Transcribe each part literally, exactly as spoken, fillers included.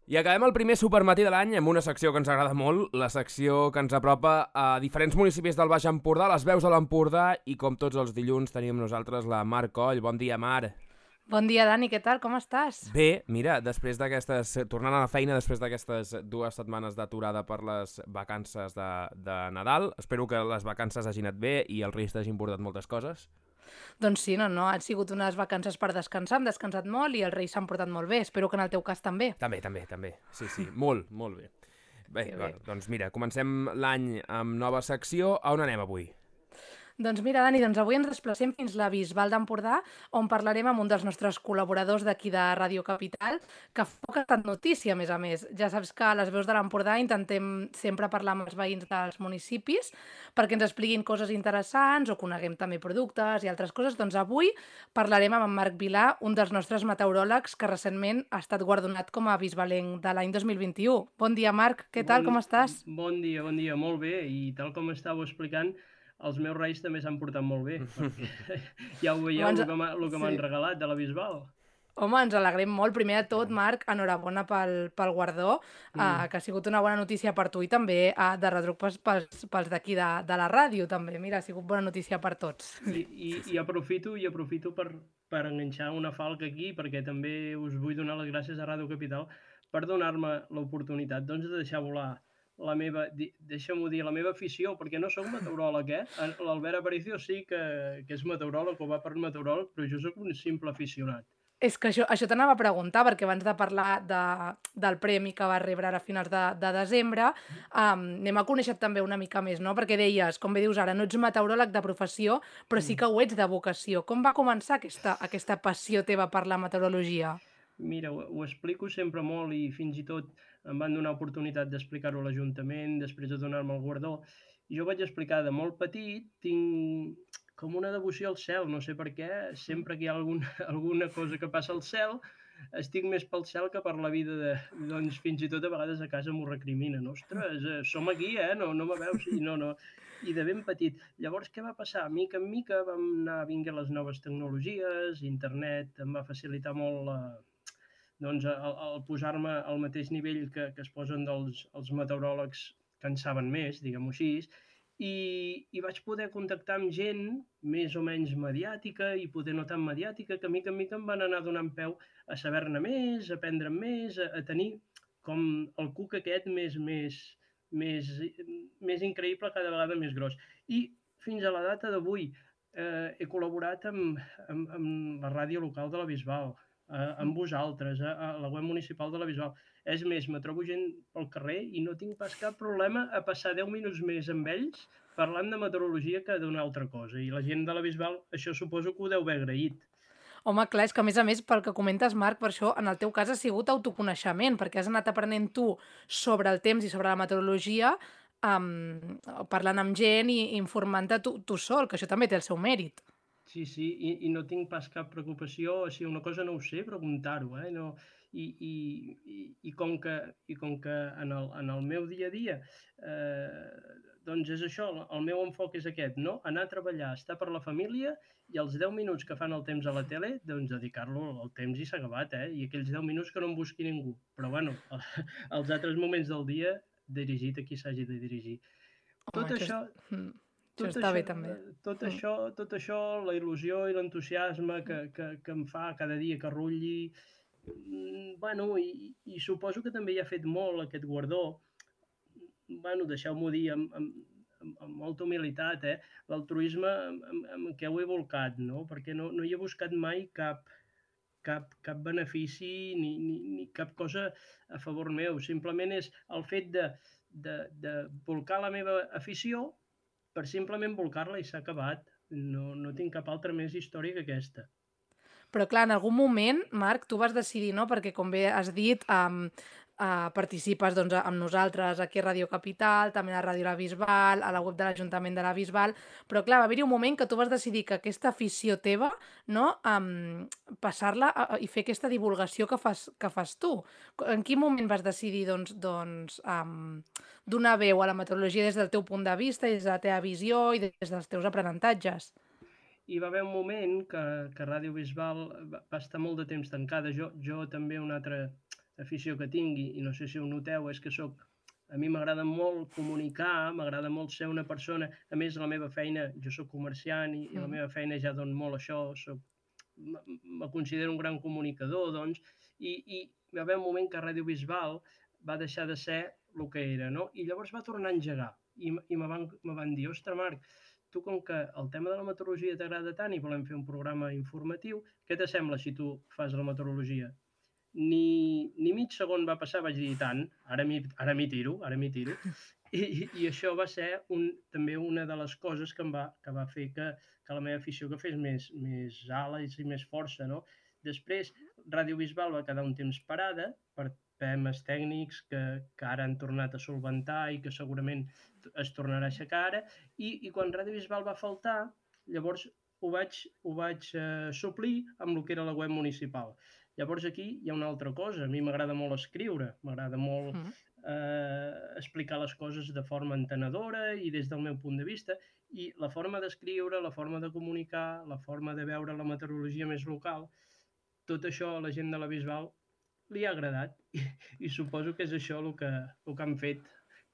I acabem el primer supermatí de l'any amb una secció que ens agrada molt, la secció que ens apropa a diferents municipis del Baix Empordà, les veus de l'Empordà, i com tots els dilluns tenim nosaltres la Mar Coll. Bon dia, Mar. Bon dia, Dani, què tal? Com estàs? Bé, mira, després d'aquestes, tornant a la feina després d'aquestes dues setmanes d'aturada per les vacances de, de Nadal, espero que les vacances hagin anat bé i els Reis t'hagin portat moltes coses. Doncs sí, no, no, han sigut unes vacances per descansar, hem descansat molt i els Reis s'han portat molt bé. Espero que en el teu cas també. També, també, també. Sí, sí, molt, molt bé. Bé, Que bé, bé. doncs mira, comencem l'any amb nova secció. A on anem avui? Doncs mira, Dani, doncs avui ens desplacem fins a la Bisbal d'Empordà, on parlarem amb un dels nostres col·laboradors d'aquí de Ràdio Capital, que fa poc ha estat notícia, a més a més. Ja saps que a les veus de l'Empordà intentem sempre parlar amb els veïns dels municipis perquè ens expliquin coses interessants o coneguem també productes i altres coses. Doncs avui parlarem amb en Marc Vilà, un dels nostres meteoròlegs que recentment ha estat guardonat com a bisbalenc de l'any dos mil vint-i-u. Bon dia, Marc, què tal, Bon, com estàs? bon dia, bon dia, molt bé, i tal com estàveu explicant, els meus reis també s'han portat molt bé, perquè ja ho veieu, Abans- el que m'ha- el que m'han sí. regalat de la Bisbal. Home, ens alegrem molt. Primer de tot, Marc, enhorabona pel, pel guardó, mm. uh, que ha sigut una bona notícia per tu i també uh, de retruc pels, pels, pels d'aquí de, de la ràdio, també. Mira, ha sigut bona notícia per tots. I, i, i aprofito i aprofito per, per enganxar una falca aquí, perquè també us vull donar les gràcies a Ràdio Capital per donar-me l'oportunitat doncs, de deixar volar la meva, di- deixa-m'ho dir, la meva afició, perquè no sóc meteoròleg, eh? L'Albert Aparicio sí que, que és meteoròleg o va per meteoròleg, però jo sóc un simple aficionat. És que això, això t'anava a preguntar, perquè abans de parlar de, del premi que vas rebre ara a finals de, de desembre, um, anem a conèixer també una mica més, no? Perquè deies, com bé dius ara, no ets meteoròleg de professió, però sí que ho ets de vocació. Com va començar aquesta, aquesta passió teva per la meteorologia? Mira, ho, ho explico sempre molt i fins i tot em van donar oportunitat d'explicar-ho a l'Ajuntament després de donar-me el guardó. Jo vaig explicar de molt petit, tinc com una devoció al cel, no sé per què, sempre que hi ha algun, alguna cosa que passa al cel, estic més pel cel que per la vida de... Doncs fins i tot a vegades a casa m'ho recriminen. Ostres, eh, som aquí, eh? No, no me veus? I no, no. I de ben petit. Llavors, què va passar? Mica en mica vam anar vinguent les noves tecnologies, internet em va facilitar molt la, doncs, el, el posar-me al mateix nivell que, que es posen dels, els meteoròlegs que en saben més, diguem-ho així, i, i vaig poder contactar amb gent més o menys mediàtica i poder no tan mediàtica, que mica en mica em van anar donant peu a saber-ne més, a aprendre més, a, a tenir com el cuc aquest més, més, més, més increïble, cada vegada més gros. I fins a la data d'avui eh, he col·laborat amb, amb, amb la ràdio local de la Bisbal, eh, amb vosaltres, a, a la web municipal de la Bisbal. És més, me trobo gent pel carrer i no tinc pas cap problema a passar deu minuts més amb ells parlant de meteorologia que d'una altra cosa. I la gent de la Bisbal, això suposo que ho deu haver agraït. Home, clar, és que a més a més, pel que comentes, Marc, per això en el teu cas ha sigut autoconeixement, perquè has anat aprenent tu sobre el temps i sobre la meteorologia, um, parlant amb gent i informant-te tu, tu sol, que això també té el seu mèrit. Sí, sí, i, i no tinc pas cap preocupació, si una cosa no ho sé, preguntar-ho, eh? No, i, i, i, i, com que, i com que en el, en el meu dia a dia, eh, doncs és això, el meu enfoc és aquest, no? Anar a treballar, estar per la família i els deu minuts que fan el temps a la tele, doncs dedicar-lo al temps i s'ha acabat, eh? I aquells deu minuts que no em busqui ningú. Però bueno, els altres moments del dia dirigit a qui s'hagi de dirigir. Home, Tot això, això... és, mm, això Tot està això, bé també. eh, tot, Mm. això, tot això, la il·lusió i l'entusiasme que, que, que em fa cada dia que rulli, mm, bueno, i, i suposo que també hi ha fet molt aquest guardó. Bueno, deixeu-m'ho dir amb, amb, amb, amb molta humilitat, eh? L'altruisme amb, amb, amb què ho he volcat, no? Perquè no, no hi he buscat mai cap, cap, cap benefici ni, ni, ni cap cosa a favor meu. Simplement és el fet de, de, de volcar la meva afició per simplement volcar-la i s'ha acabat. No, no tinc cap altra més història que aquesta. Però clar, en algun moment, Marc, tu vas decidir, no? Perquè com bé has dit, um, uh, participes doncs, amb nosaltres aquí a Ràdio Capital, també a Ràdio La Bisbal, a la web de l'Ajuntament de la Bisbal, però clar, va haver-hi un moment que tu vas decidir que aquesta afició teva, no? Um, passar-la a, a, i fer aquesta divulgació que fas, que fas tu. En quin moment vas decidir doncs, doncs, um, donar veu a la meteorologia des del teu punt de vista, des de la teva visió i des dels teus aprenentatges? Hi va haver un moment que, que Ràdio Bisbal va, va estar molt de temps tancada. Jo, jo també un altre... afició que tingui, i no sé si ho noteu, és que soc, a mi m'agrada molt comunicar, m'agrada molt ser una persona, a més la meva feina, jo soc comerciant i, i la meva feina ja don molt això, soc, me considero un gran comunicador, doncs, i, i va haver un moment que Ràdio Bisbal va deixar de ser el que era, no? I llavors va tornar a engegar, i, i me van, me van dir, ostres, Marc, tu com que el tema de la meteorologia t'agrada tant i volem fer un programa informatiu, què t'assembla si tu fas la meteorologia? Ni, ni mig segon va passar, vaig dir, tant, ara m'hi tiro, ara m'hi tiro. I, i això va ser un, també una de les coses que, em va, que va fer que, que la meva afició que fes més, més ales i més força, no? Després, Ràdio Bisbal va quedar un temps parada per temes tècnics que, que ara han tornat a solventar i que segurament es tornarà a aixecar ara, i, i quan Ràdio Bisbal va faltar, llavors ho vaig, ho vaig eh, suplir amb el que era la web municipal. Llavors aquí hi ha una altra cosa, a mi m'agrada molt escriure, m'agrada molt eh, explicar les coses de forma entenedora i des del meu punt de vista, i la forma d'escriure, la forma de comunicar, la forma de veure la meteorologia més local, tot això a la gent de la Bisbal li ha agradat, i, i suposo que és això el que, el que han fet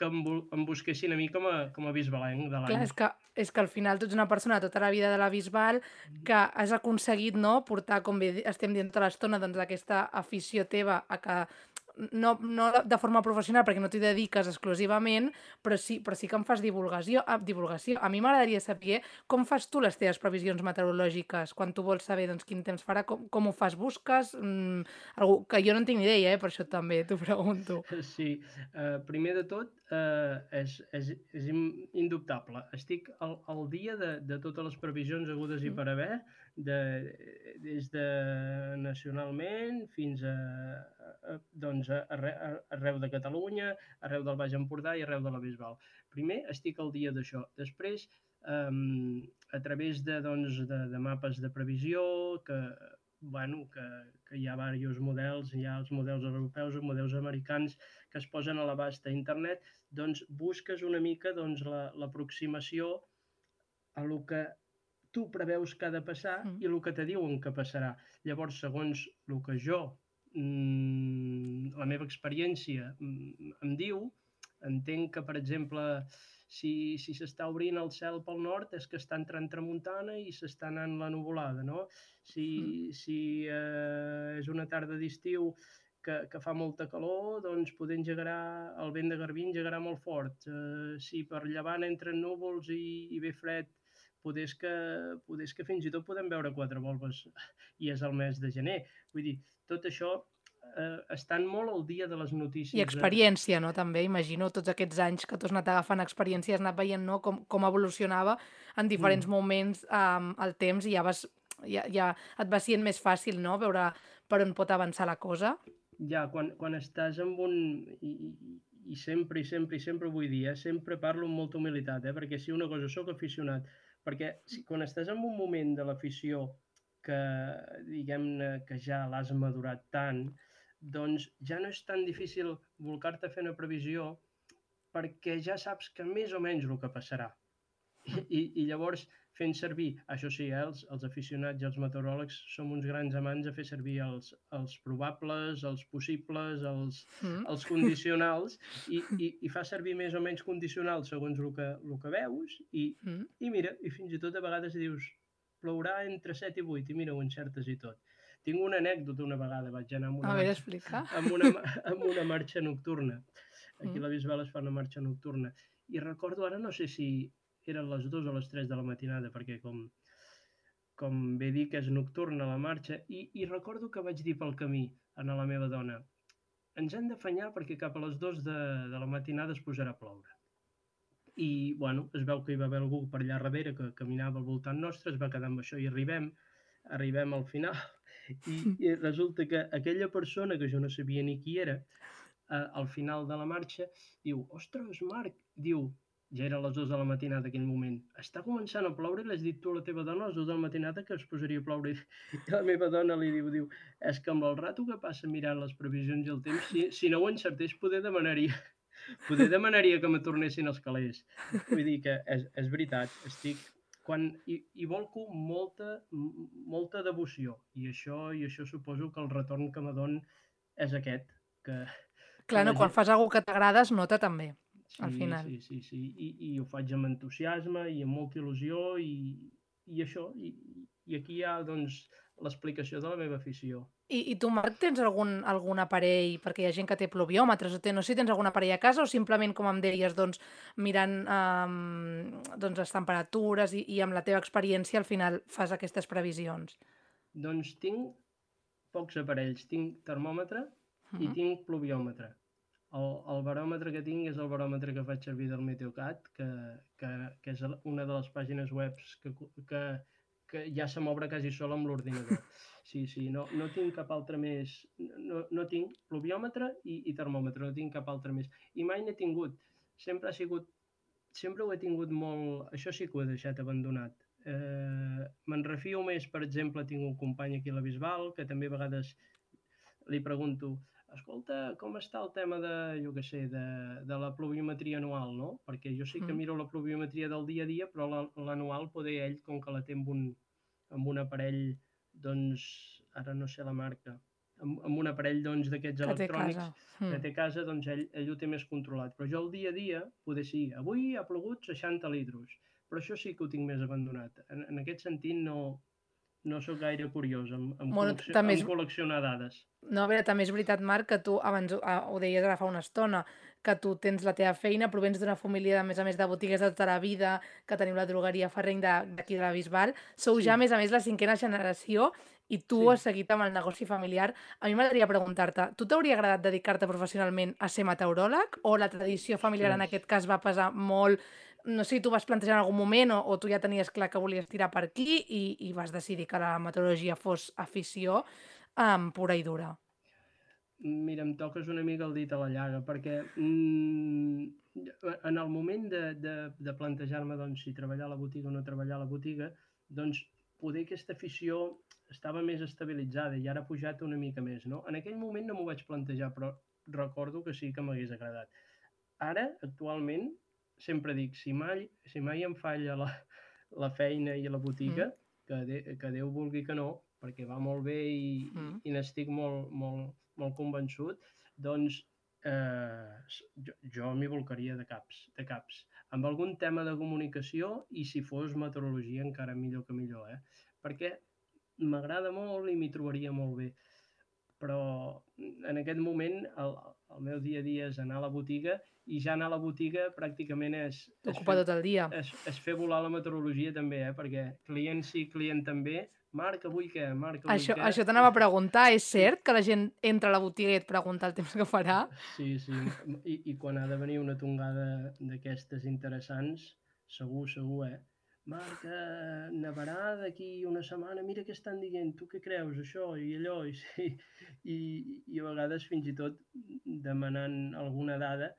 que em, em busquessin a mi com a, com a bisbalenc de l'any. Clar, és que, és que al final tu ets una persona tota la vida de la Bisbal que has aconseguit, no?, portar, com bé estem dient tota l'estona, doncs aquesta afició teva a que no, no de forma professional perquè no t'hi dediques exclusivament, però sí, però sí que em fas divulgació. A, divulgació. A mi m'agradaria saber com fas tu les teves previsions meteorològiques, quan tu vols saber doncs, quin temps farà, com, com ho fas, busques? Mm, algú, que jo no en tinc ni idea, eh? Per això també t'ho pregunto. Sí, uh, primer de tot uh, és, és, és indubtable. Estic al, al dia de, de totes les previsions hagudes i per haver, de, des de nacionalment fins a, a, doncs a, a, arreu de Catalunya, arreu del Baix Empordà i arreu de la Bisbal. Primer estic al dia d'això. Després, um, a través de, doncs, de, de mapes de previsió, que, bueno, que, que hi ha diversos models, hi ha els models europeus, els models americans que es posen a l'abast a internet, doncs busques una mica doncs, l'aproximació a lo que tu preveus que ha de passar mm. i el que te diuen que passarà. Llavors, segons el que jo, mmm, la meva experiència mmm, em diu, entenc que, per exemple, si si s'està obrint el cel pel nord és que està entrant tramuntana i s'està anant la nuvolada, no? Si, mm. si eh, és una tarda d'estiu que, que fa molta calor, doncs poder engegarà, el vent de garbí engegarà molt fort. Eh, si per llevant entren núvols i, i ve fred, poder és, que, poder és que fins i tot podem veure quatre volves i és el mes de gener. Vull dir, tot això eh, estan molt al dia de les notícies. I experiència, no? També, imagino, tots aquests anys que tu has anat agafant experiència, has anat veient, no?, com, com evolucionava en diferents mm. moments um, el temps i ja, vas, ja, ja et va sent més fàcil, no?, veure per on pot avançar la cosa. Ja, quan, quan estàs amb un... I, i sempre, i sempre, i sempre ho vull dir, eh? Sempre parlo amb molta humilitat, eh? Perquè si una cosa soc aficionat, perquè si, quan estàs en un moment de l'afició que, diguem-ne, que ja l'has madurat tant, doncs ja no és tan difícil volcar-te a fer una previsió perquè ja saps que més o menys el que passarà. I, i, i llavors, fent servir, això sí, eh, els, els aficionats i els meteoròlegs som uns grans amants a fer servir els, els probables, els possibles, els, mm. els condicionals, i, i, i fa servir més o menys condicionals segons el que, el que veus, i, mm. i mira, i fins i tot a vegades dius, plourà entre set i vuit, i mira, ho encertes i tot. Tinc una anècdota una vegada, vaig anar amb una, a veure, marxa, amb una, amb una marxa nocturna. Aquí a la Bisbal es fa una marxa nocturna. I recordo ara, no sé si eren les dues o les tres de la matinada, perquè com, com bé dic, és nocturna la marxa, i, i recordo que vaig dir pel camí a la meva dona, ens hem d'afanyar perquè cap a les dues de, de la matinada es posarà a ploure. I, bueno, es veu que hi va haver algú per allà darrere que caminava al voltant nostre, es va quedar amb això i arribem, arribem al final, i, i resulta que aquella persona, que jo no sabia ni qui era, eh, al final de la marxa, diu, ostres, Marc, diu, ja eren les dues de la matinada aquell moment, està començant a ploure i l'has dit tu a la teva dona a les dues de la matinada que es posaria a ploure. I la meva dona li diu, diu, és que amb el rato que passa mirant les previsions i el temps, si, si no ho encertés, poder demanaria, poder demanaria que me tornessin els calés. Vull dir que és, és veritat, estic... Quan hi, hi volco molta, molta devoció, i això, i això suposo que el retorn que me don és aquest. que, que Clar, la no, quan gent... fas alguna que t'agrada es nota també, al Sí, final. sí, sí, sí. I, i ho faig amb entusiasme i amb molta il·lusió i, i això. I, I aquí hi ha, doncs, l'explicació de la meva afició. I, i tu, Marc, tens algun, algun aparell, perquè hi ha gent que té pluviòmetres, o té, no sé si tens algun aparell a casa o simplement, com em deies, doncs, mirant um, doncs, les temperatures i, i amb la teva experiència al final fas aquestes previsions. Doncs tinc pocs aparells. Tinc termòmetre i Mm. tinc pluviòmetre. El, el baròmetre que tinc és el baròmetre que faig servir del Meteocat, que, que, que és una de les pàgines web que, que, que ja se m'obre quasi sol amb l'ordinador. Sí, sí, no, no tinc cap altre més. No, no tinc pluviòmetre i, i termòmetre, no tinc cap altre més. I mai n'he tingut. Sempre ha sigut, sempre ho he tingut molt... Això sí que ho he deixat abandonat. Eh, me'n refio més, per exemple, tinc un company aquí a la Bisbal, que també a vegades li pregunto, escolta, com està el tema de, jo què sé, de, de la pluviometria anual, no? Perquè jo sí que Mm. miro la pluviometria del dia a dia, però l'anual poder ell, com que la té amb un, amb un aparell, doncs, ara no sé la marca, amb, amb un aparell doncs d'aquests Que té electrònics casa. que Mm. té a casa, doncs ell, ell ho té més controlat. Però jo el dia a dia, poder sí, avui ha plogut seixanta litres, però això sí que ho tinc més abandonat. En, en aquest sentit no, no sóc gaire curiós amb, amb, Bueno, col·leccio, també és, amb col·leccionar dades. no, a veure, també és veritat, Marc, que tu abans ho, ah, ho deies ara fa una estona, que tu tens la teva feina, provens d'una família, a més a més, de botigues de tota la vida, que teniu la drogueria Ferreny de- d'aquí de la Bisbal. Sou Sí, ja, a més a més, la cinquena generació i tu sí. has seguit amb el negoci familiar. A mi m'agradaria preguntar-te, tu t'hauria agradat dedicar-te professionalment a ser meteoròleg o la tradició familiar en Ostres. aquest cas va pesar molt? No sé si tu vas plantejar en algun moment o, o tu ja tenies clar que volies tirar per aquí i, i vas decidir que la meteorologia fos afició um, pura i dura. Mira, em toques una mica el dit a la llaga, perquè mm, en el moment de, de, de plantejar-me doncs, si treballar a la botiga o no treballar a la botiga, doncs poder aquesta afició estava més estabilitzada i ara ha pujat una mica més. No? En aquell moment no m'ho vaig plantejar, però recordo que sí que m'hagués agradat. Ara, actualment, sempre dic, si mai, si mai em falla la, la feina i la botiga, Mm. que, de, que Déu vulgui que no, perquè va molt bé i, Mm. i, i n'estic molt, molt, molt convençut, doncs eh, jo, jo m'hi volcaria de caps, de caps. Amb algun tema de comunicació i si fos meteorologia encara millor que millor, eh? Perquè m'agrada molt i m'hi trobaria molt bé. Però en aquest moment el, el meu dia a dia és anar a la botiga i ja anar a la botiga pràcticament és, és, T'ocupa fer, tot el dia. és, és fer volar la meteorologia també, eh? Perquè client sí, client també. Marc, avui què? Marc, avui Això, què? això t'anava a preguntar, és cert que la gent entra a la botiga i et pregunta el temps que farà? Sí, sí, i, i quan ha de venir una tongada d'aquestes interessants, segur, segur, eh? Marc, eh, nevarà d'aquí una setmana, mira què estan dient, tu què creus, això i allò, i, sí, i, i a vegades fins i tot demanant alguna dada,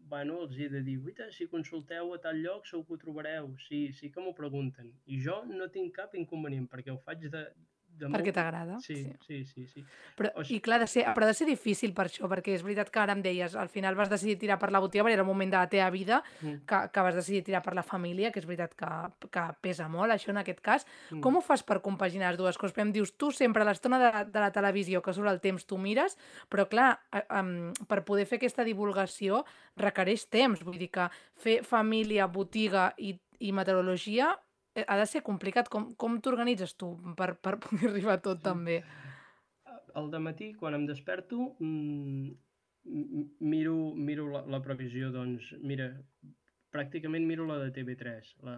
bueno, els he de dir, uita, si consulteu a tal lloc segur que ho trobareu, sí, sí que m'ho pregunten, i jo no tinc cap inconvenient, perquè ho faig de, de Perquè molt... t'agrada. Sí, Sí. sí, sí, sí. Però, O i sigui, clar, de ser, però ha de ser difícil per això, perquè és veritat que ara em deies, al final vas decidir tirar per la botiga, perquè era el moment de la teva vida, mm, que, que vas decidir tirar per la família, que és veritat que, que pesa molt, això en aquest cas. mm. Com ho fas per compaginar les dues coses? Perquè em dius, tu sempre a l'estona de, de la televisió, que surt el temps, tu mires, però clar, eh, um, per poder fer aquesta divulgació requereix temps, vull dir que fer família, botiga i, i meteorologia eh, ha de ser complicat. Com, com t'organitzes tu per, per poder arribar a tot Sí. també? Al dematí, quan em desperto, mmm, miro, miro la, la previsió, doncs, mira, pràcticament miro la de T V tres, la,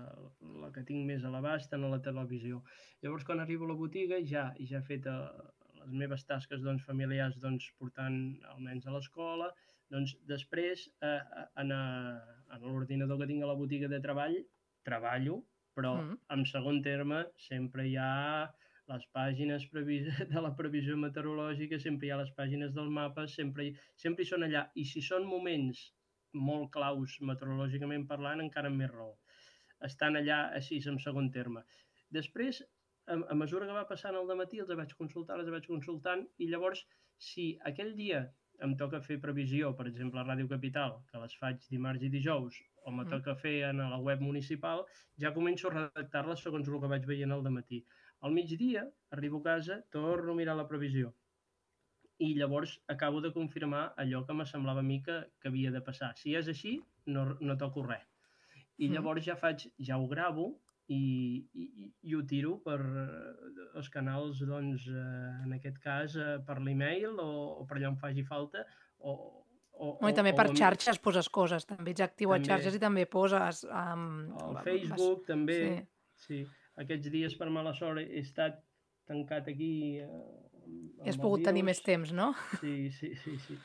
la que tinc més a l'abast en la televisió. Llavors, quan arribo a la botiga, ja, ja he fet eh, les meves tasques doncs, familiars, doncs, portant els nens a l'escola, doncs, després, eh, en, a, en l'ordinador que tinc a la botiga de treball, treballo, però Mm. en segon terme sempre hi ha les pàgines de la previsió meteorològica, sempre hi ha les pàgines dels mapes, sempre hi, sempre hi són allà. I si són moments molt claus meteorològicament parlant, encara amb més raó. Estan allà així en segon terme. Després, a, a mesura que va passant el dematí, els vaig consultar, els vaig consultant, i llavors, si aquell dia em toca fer previsió, per exemple, a Ràdio Capital, que les faig dimarts i dijous, o me toca fer a la web municipal, ja començo a redactar-les segons el que vaig veient al dematí. Al migdia, arribo a casa, torno a mirar la previsió. i llavors acabo de confirmar allò que me semblava a mi que, que havia de passar. Si és així, no, no toco res. I llavors ja faig, ja ho gravo i, i, i ho tiro per els canals, doncs, eh, en aquest cas, eh, per l'email o, o per allà on faci falta, o, o, No, I també o, per o xarxes poses coses, també ets actiu a també, xarxes i també poses... Um, al vas- Facebook també, Sí. sí. Aquests dies per mala sort he estat tancat aquí eh, I has amb el pogut tenir virus. més temps, no? Sí, sí, sí, sí.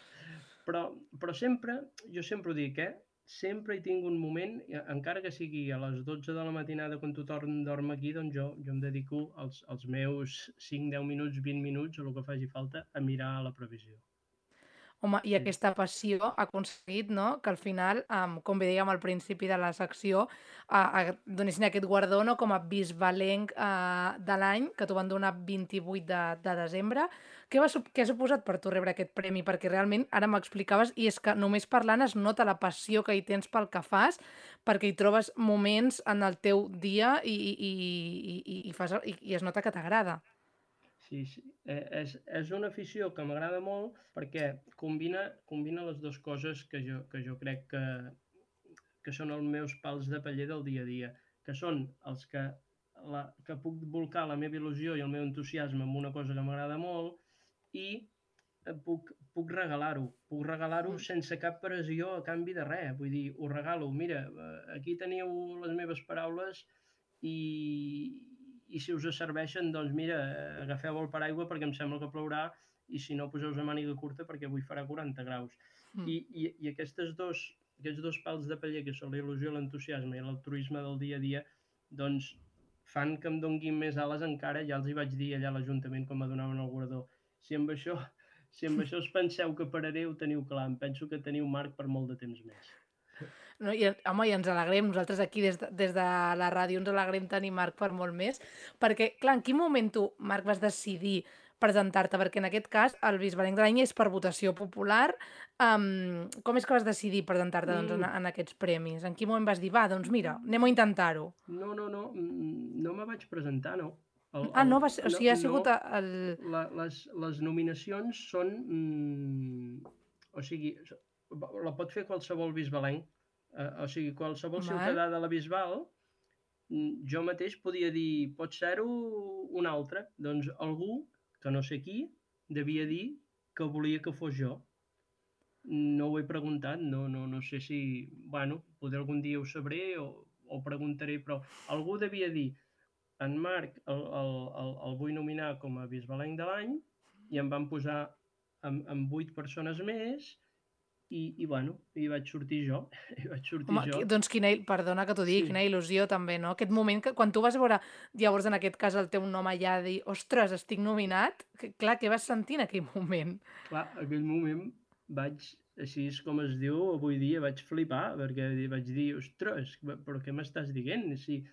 Però, però sempre, jo sempre ho dic, eh? Sempre hi tinc un moment, eh, encara que sigui a les dotze de la matinada quan tothom dorm aquí, doncs jo, jo em dedico als, als meus cinc, deu minuts, vint minuts, o el que faci falta, a mirar la previsió. Home, i Sí. aquesta passió ha aconseguit, no?, que al final, um, com bé dèiem al principi de la secció, uh, uh, donessin aquest guardó, no?, com a bisbalenc uh, de l'any, que t'ho van donar vint-i-vuit de, de desembre. Què, va, sup- què ha suposat per tu rebre aquest premi? Perquè realment, ara m'explicaves, i és que només parlant es nota la passió que hi tens pel que fas, perquè hi trobes moments en el teu dia i, i, i, i, i, fas, i, i es nota que t'agrada. Sí, sí. Eh, és, és una afició que m'agrada molt perquè combina, combina les dues coses que jo, que jo crec que, que són els meus pals de paller del dia a dia, que són els que, la, que puc volcar la meva il·lusió i el meu entusiasme en una cosa que m'agrada molt i eh, puc, puc regalar-ho. Puc regalar-ho Mm. sense cap pressió a canvi de res. Vull dir, ho regalo. Mira, eh, aquí teniu les meves paraules i, i si us serveixen, doncs mira, agafeu el paraigua perquè em sembla que plourà i si no, poseu-vos a màniga curta perquè avui farà quaranta graus. Mm. I, i, i aquestes dos, aquests dos pals de paller, que són la il·lusió, l'entusiasme i l'altruisme del dia a dia, doncs fan que em donguin més ales encara. Ja els hi vaig dir allà a l'Ajuntament quan me donaven el guardó. Si amb això, si amb això us penseu que pararé, ho teniu clar. Em penso que teniu marc per molt de temps més. No, i, home, i ens alegrem, nosaltres aquí des de, des de la ràdio ens alegrem tenir Marc per molt més, perquè, clar, en quin moment tu, Marc, vas decidir presentar-te? Perquè en aquest cas el Bisbalenc de l'any és per votació popular. Um, com és que vas decidir presentar-te doncs, en, Mm, en aquests premis? En quin moment vas dir, va, doncs mira, anem a intentar-ho? no, no, no, mm, no me vaig presentar, no. El, Ah, el, no, va ser, o no, sigui, ha no, sigut el... la, les, les nominacions són... Mm, o sigui, la pot fer qualsevol bisbalenc. Eh, o sigui, qualsevol Val. ciutadà de la Bisbal, mm, jo mateix podia dir, pot ser-ho un altre. Doncs algú, que no sé qui, devia dir que volia que fos jo. No ho he preguntat, no, no, no sé si... Bueno, potser algun dia ho sabré o, o preguntaré, però algú devia dir en Marc el, el, el, el vull nominar com a bisbalenc de l'any i em van posar amb, amb vuit persones més i, i bueno, i vaig sortir jo, i vaig sortir Home, jo. qui- doncs quina, il- perdona que t'ho digui, Sí, quina il·lusió també, no? Aquest moment que quan tu vas veure, llavors en aquest cas el teu nom allà, dir, ostres, estic nominat, que, clar, què vas sentir en aquell moment? clar, en aquell moment vaig, així és com es diu avui dia, vaig flipar, perquè vaig dir, ostres, però què m'estàs dient? Sí,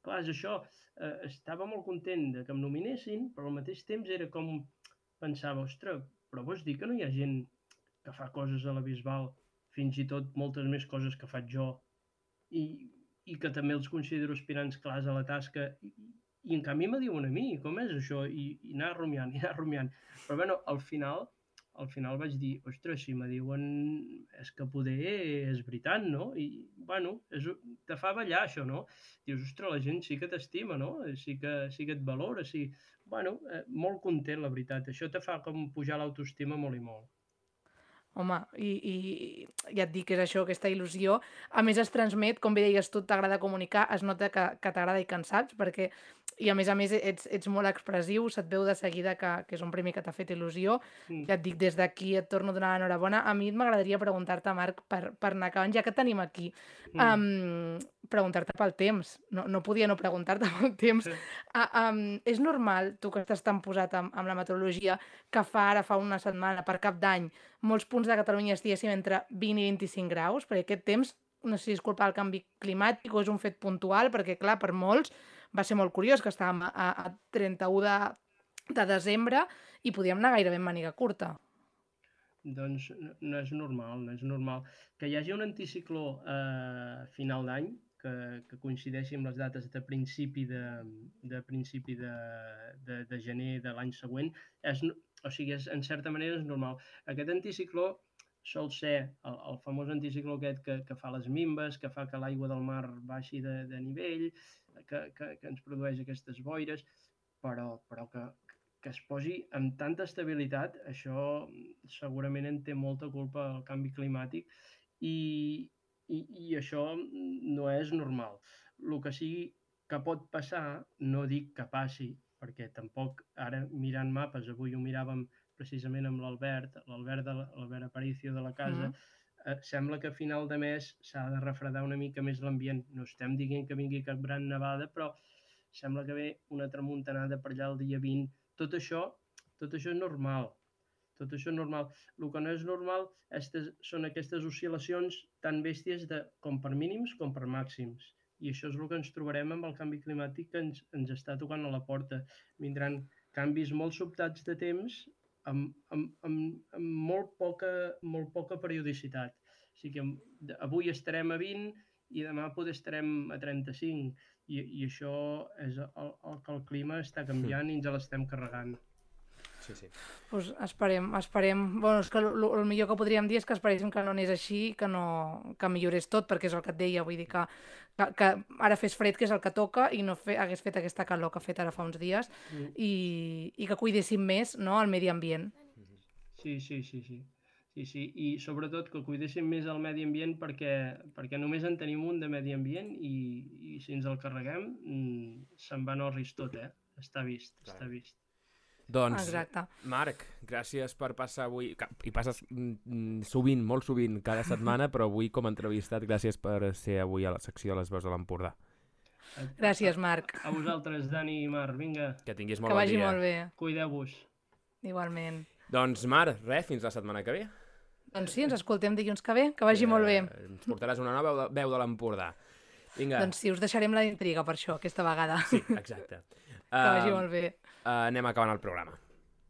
clar, és això, eh, estava molt content de que em nominessin, però al mateix temps era com, pensava, ostres, però vols dir que no hi ha gent que fa coses a la Bisbal, fins i tot moltes més coses que faig jo, i, i que també els considero aspirants clars a la tasca, i, i en canvi me diuen a mi, com és això? I, i anar rumiant, i anar rumiant. Però bueno, al final, al final vaig dir, ostres, si me diuen és que poder és veritat, no? I, bueno, és, te fa ballar això, no? Dius, ostres, la gent sí que t'estima, no? Sí que, sí que et valora, sí. Bueno, eh, molt content, la veritat. Això te fa com pujar l'autoestima molt i molt. Home, i, i ja et dic que és això, aquesta il·lusió. A més, es transmet, com bé deies tu, t'agrada comunicar, es nota que, que t'agrada i que en saps, perquè, i a més a més ets, ets molt expressiu, se't veu de seguida que, que és un premi que t'ha fet il·lusió. Mm. Ja et dic, des d'aquí et torno a donar l'enhorabona. A mi m'agradaria preguntar-te, Marc, per, per anar acabant, ja que et tenim aquí, Mm. um, preguntar-te pel temps. No, no podia no preguntar-te pel temps. Uh, um, és normal, tu que estàs tan posat amb, amb la meteorologia, que fa ara, fa una setmana, per cap d'any, molts punts de Catalunya estiguéssim entre vint i vint-i-cinc graus, perquè aquest temps, no sé si és culpa del canvi climàtic o és un fet puntual, perquè clar, per molts va ser molt curiós que estàvem a, a trenta-u de, de desembre i podíem anar gairebé en màniga curta. Doncs no, no és normal, no és normal. Que hi hagi un anticicló a eh, final d'any, que, que coincideixi amb les dates de principi de, de, principi de, de, de gener de l'any següent, és, o sigui, és, en certa manera és normal. Aquest anticicló sol ser el, el famós anticicló aquest que, que fa les minves, que fa que l'aigua del mar baixi de, de nivell, que, que, que ens produeix aquestes boires, però, però que, que es posi amb tanta estabilitat, això segurament en té molta culpa el canvi climàtic i, i, i això no és normal. El que sigui que pot passar, no dic que passi, perquè tampoc ara mirant mapes, avui ho miràvem precisament amb l'Albert, l'Albert l'Albert Aparicio de la casa, mm. eh, sembla que a final de mes s'ha de refredar una mica més l'ambient. No estem dient que vingui cap gran nevada, però sembla que ve una tramuntanada per allà el dia vint. Tot això, tot això és normal. Tot això és normal. El que no és normal estes, són aquestes oscil·lacions tan bèsties de, com per mínims com per màxims. I això és el que ens trobarem amb el canvi climàtic que ens, ens està tocant a la porta. Vindran canvis molt sobtats de temps amb, amb, amb, amb molt, poca, molt poca periodicitat. O sigui que avui estarem a vint i demà potser estarem a trenta-cinc. I, i això és el, el que el clima està canviant i ens l'estem carregant. Sí, sí. Pues esperem, esperem... Bueno, és que el, el millor que podríem dir és que esperéssim que no anés així, que, no, que millorés tot, perquè és el que et deia, vull dir que, que, que ara fes fred, que és el que toca, i no fe, hagués fet aquesta calor que ha fet ara fa uns dies, mm. i, i que cuidéssim més, no, el medi ambient. Sí, sí, sí, sí. Sí, sí, i sobretot que cuidéssim més el medi ambient perquè, perquè només en tenim un de medi ambient i, i si ens el carreguem se'n va en orris tot, eh? Està vist, Clar. està vist. Doncs, Exacte. Marc, gràcies per passar avui, i passes mm, sovint, molt sovint, cada setmana, però avui com a entrevistat, gràcies per ser avui a la secció de les veus de l'Empordà. Gràcies, Marc. A vosaltres, Dani i Marc, vinga. Que tinguis molt que bon dia. Que vagi molt bé. Cuideu-vos. Igualment. Doncs, Marc, res, fins la setmana que ve. Doncs sí, ens escoltem dilluns que ve, que vagi eh, molt bé. Ens portaràs una nova veu de l'Empordà. Vinga. Doncs sí, us deixarem la intriga per això, aquesta vegada. Sí, exacte. Que vagi uh, molt bé. Uh, anem acabant el programa.